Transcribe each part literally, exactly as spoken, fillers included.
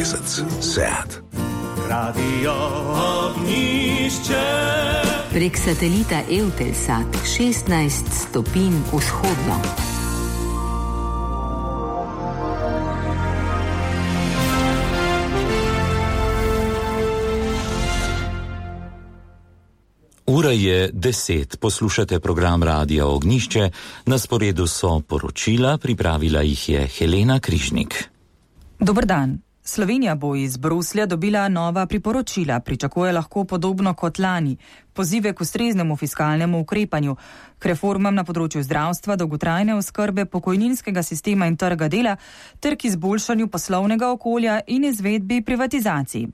mesec. Seat. Radio Ognjišče. Prek satelita Eutelsat šestnajst stopinj vzhodno. Ura je deset, poslušate program Radia Ognjišče, na sporedu so poročila, pripravila jih je Helena Križnik. Dober dan. Slovenija bo iz Bruslja dobila nova priporočila, pričakuje lahko podobno kot lani, pozive k ustreznemu fiskalnemu ukrepanju, k reformam na področju zdravstva, dolgotrajne oskrbe, pokojninskega sistema in trga dela, ter k izboljšanju poslovnega okolja in izvedbi privatizacij.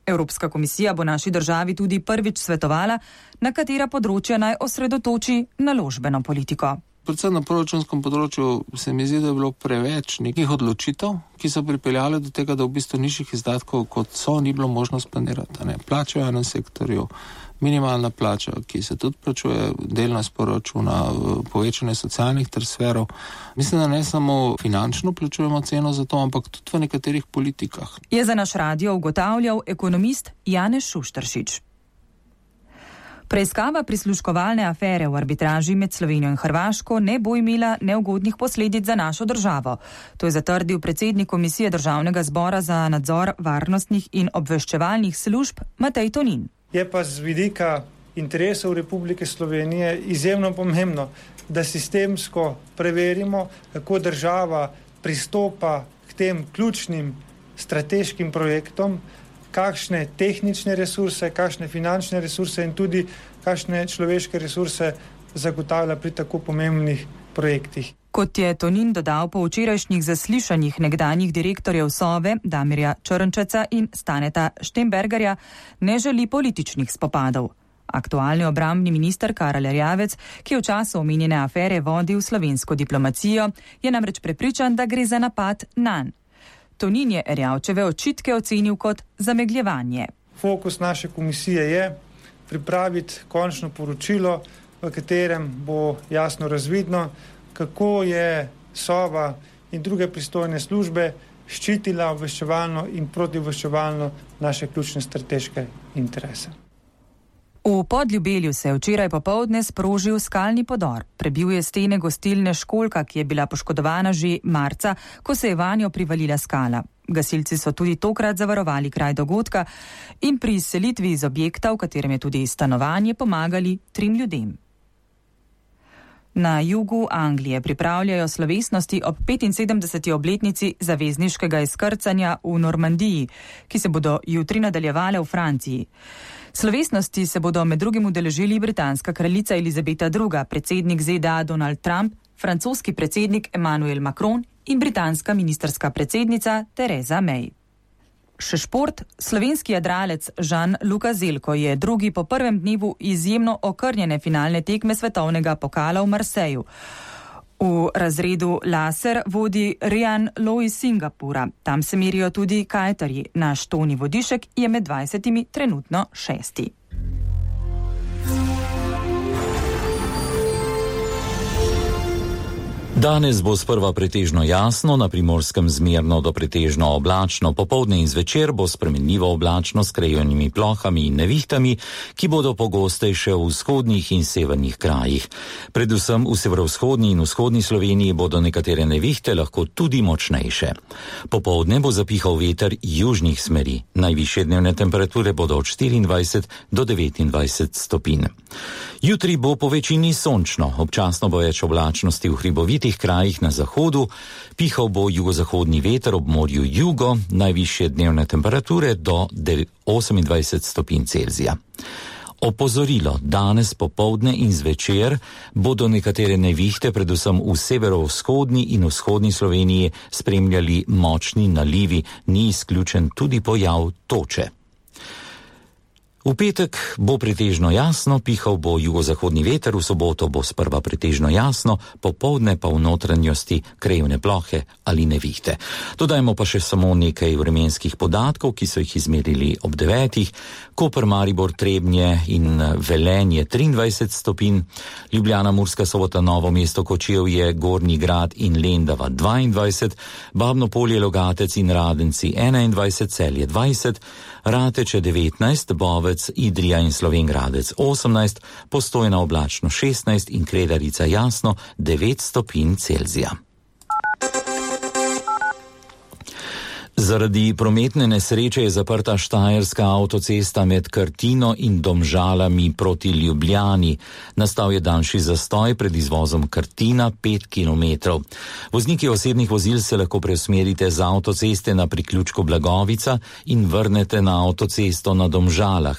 Evropska komisija bo naši državi tudi prvič svetovala, na katera področja naj osredotoči naložbeno politiko. Predvsem na proračunskem področju se mi zdi, da je bilo preveč nekih odločitev, ki so pripeljale do tega, da v bistvu nižjih izdatkov, kot so, ni bilo možno splanirati. Ne? Plače v enem sektorju, minimalna plača, ki se tudi plačuje delno iz proračuna, povečanje socialnih transferov. Mislim, da ne samo finančno plačujemo ceno za to, ampak tudi v nekaterih politikah. Je za naš radio ugotavljal ekonomist Janez Šušteršič. Preiskava prisluškovalne afere v arbitraži med Slovenijo in Hrvaško ne bo imela neugodnih posledic za našo državo. To je zatrdil predsednik Komisije Državnega zbora za nadzor varnostnih in obveščevalnih služb Matej Tonin. Je pa z vidika interesov Republike Slovenije izjemno pomembno, da sistemsko preverimo, kako država pristopa k tem ključnim strateškim projektom, kakšne tehnične resurse, kakšne finančne resurse in tudi kakšne človeške resurse zagotavlja pri tako pomembnih projektih. Kot je Tonin dodal po včerajšnjih zaslišanjih nekdanjih direktorjev Sove, Damirja Črnčeca in Staneta Štembergarja, ne želi političnih spopadov. Aktualni obrambni minister Karel Erjavec, ki je v času omenjene afere vodil slovensko diplomacijo, je namreč prepričan, da gre za napad nanj. Tonin je Erjavčeve očitke ocenil kot zamegljevanje. Fokus naše komisije je pripraviti končno poročilo, v katerem bo jasno razvidno, kako je Sova in druge pristojne službe ščitila obveščevalno in protiobveščevalno naše ključne strateške interese. V Podljubelju se je včeraj popoldne sprožil skalni podor. Prebil je stene gostilne Školjka, ki je bila poškodovana že marca, ko se je vanjo privalila skala. Gasilci so tudi tokrat zavarovali kraj dogodka in pri izselitvi iz objekta, v katerem je tudi stanovanje, pomagali trim ljudem. Na jugu Anglije pripravljajo slovesnosti ob petinsedemdeseti obletnici zavezniškega izkrcanja v Normandiji, ki se bodo jutri nadaljevale v Franciji. Slovesnosti se bodo med drugim udeležili britanska kraljica Elizabeta druga, predsednik Z D A Donald Trump, francoski predsednik Emmanuel Macron in britanska ministrska predsednica Theresa May. Še šport, slovenski jadralec Žan-Luka Zelko je drugi po prvem dnevu izjemno okrnjene finalne tekme svetovnega pokala v Marseju. V razredu laser vodi Rian Lo iz Singapura. Tam se merijo tudi kajtarji. Naš Toni Vodišek je med dvajsetimi trenutno šesti. Danes bo sprva pretežno jasno, na Primorskem zmerno do pretežno oblačno, popoldne in zvečer bo spremenljivo oblačno s krajognimi plohami in nevihtami, ki bodo pogostejše v vzhodnih in severnih krajih. Predvsem v severovzhodni in vzhodni Sloveniji bodo nekatere nevihte lahko tudi močnejše. Popoldne bo zapihal veter južnih smeri. Najvišje dnevne temperature bodo od štiriindvajset do devetindvajset stopinj. Jutri bo po večini sončno, občasno bo več oblačnosti v hribovitih krajih na zahodu, pihal bo jugozahodni veter ob morju jugo, najvišje dnevne temperature do osemindvajset stopinj Celzija. Opozorilo, danes popoldne in zvečer bodo nekatere nevihte, predvsem v severovzhodni in vzhodni Sloveniji, spremljali močni nalivi, ni izključen tudi pojav toče. V petek bo pretežno jasno, pihal bo jugozahodni veter, v soboto bo sprva pretežno jasno, popoldne pa v notranjosti krajevne plohe ali nevihte. Dodajmo pa še samo nekaj vremenskih podatkov, ki so jih izmerili ob devetih. Koper, Maribor, Trebnje in Velenje triindvajset stopinj, Ljubljana, Murska Sobota, Novo mesto, Kočevje, Gornji Grad in Lendava dvaindvajset, Babno Polje, Logatec in Radenci enaindvajset, Celje dvajset, Rateče devetnajst, Bovec, Idrija in Slovenj Gradec osemnajst, Postojna oblačno šestnajst in Kredarica jasno devet stopinj Celzija. Zaradi prometne nesreče je zaprta štajerska avtocesta med Krtino in Domžalami proti Ljubljani. Nastal je daljši zastoj pred izvozom Krtina pet kilometrov. Vozniki osebnih vozil se lahko preusmerite z avtoceste na priključku Blagovica in vrnete na avtocesto na Domžalah.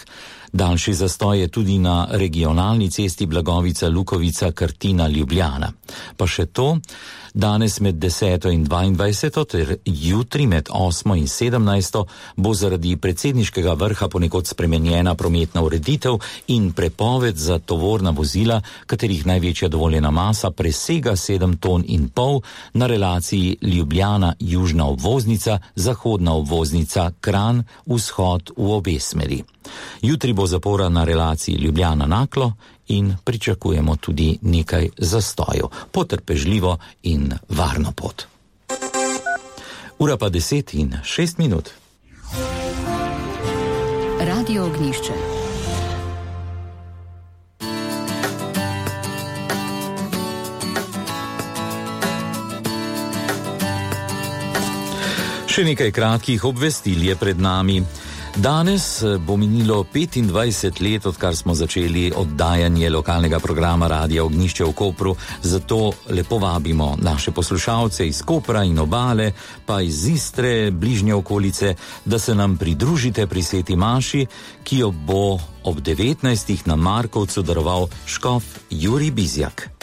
Daljši zastoj je tudi na regionalni cesti Blagovica-Lukovica-Krtina-Ljubljana. Pa še to, danes med deseto in dvaindvajseto ter jutri med osmo in sedemnajsto bo zaradi predsedniškega vrha ponekod spremenjena prometna ureditev in prepoved za tovorna vozila, katerih največja dovoljena masa presega sedem ton in pol na relaciji Ljubljana-južna obvoznica, zahodna obvoznica, Kranj, vzhod v obe smeri. Jutri bo zapora na relaciji Ljubljana-Naklo in pričakujemo tudi nekaj zastojev. Potrpežljivo in varno pot. Ura pa deset in šest minut. Radio Ognjišče. Še nekaj kratkih obvestil je pred nami. Danes bo minilo petindvajset let, odkar smo začeli oddajanje lokalnega programa Radia Ognjišče v Kopru, zato lepo vabimo naše poslušalce iz Kopra in obale, pa iz Istre, bližnje okolice, da se nam pridružite pri sveti maši, ki jo bo ob devetnajstih na Markovcu daroval škof Jurij Bizjak.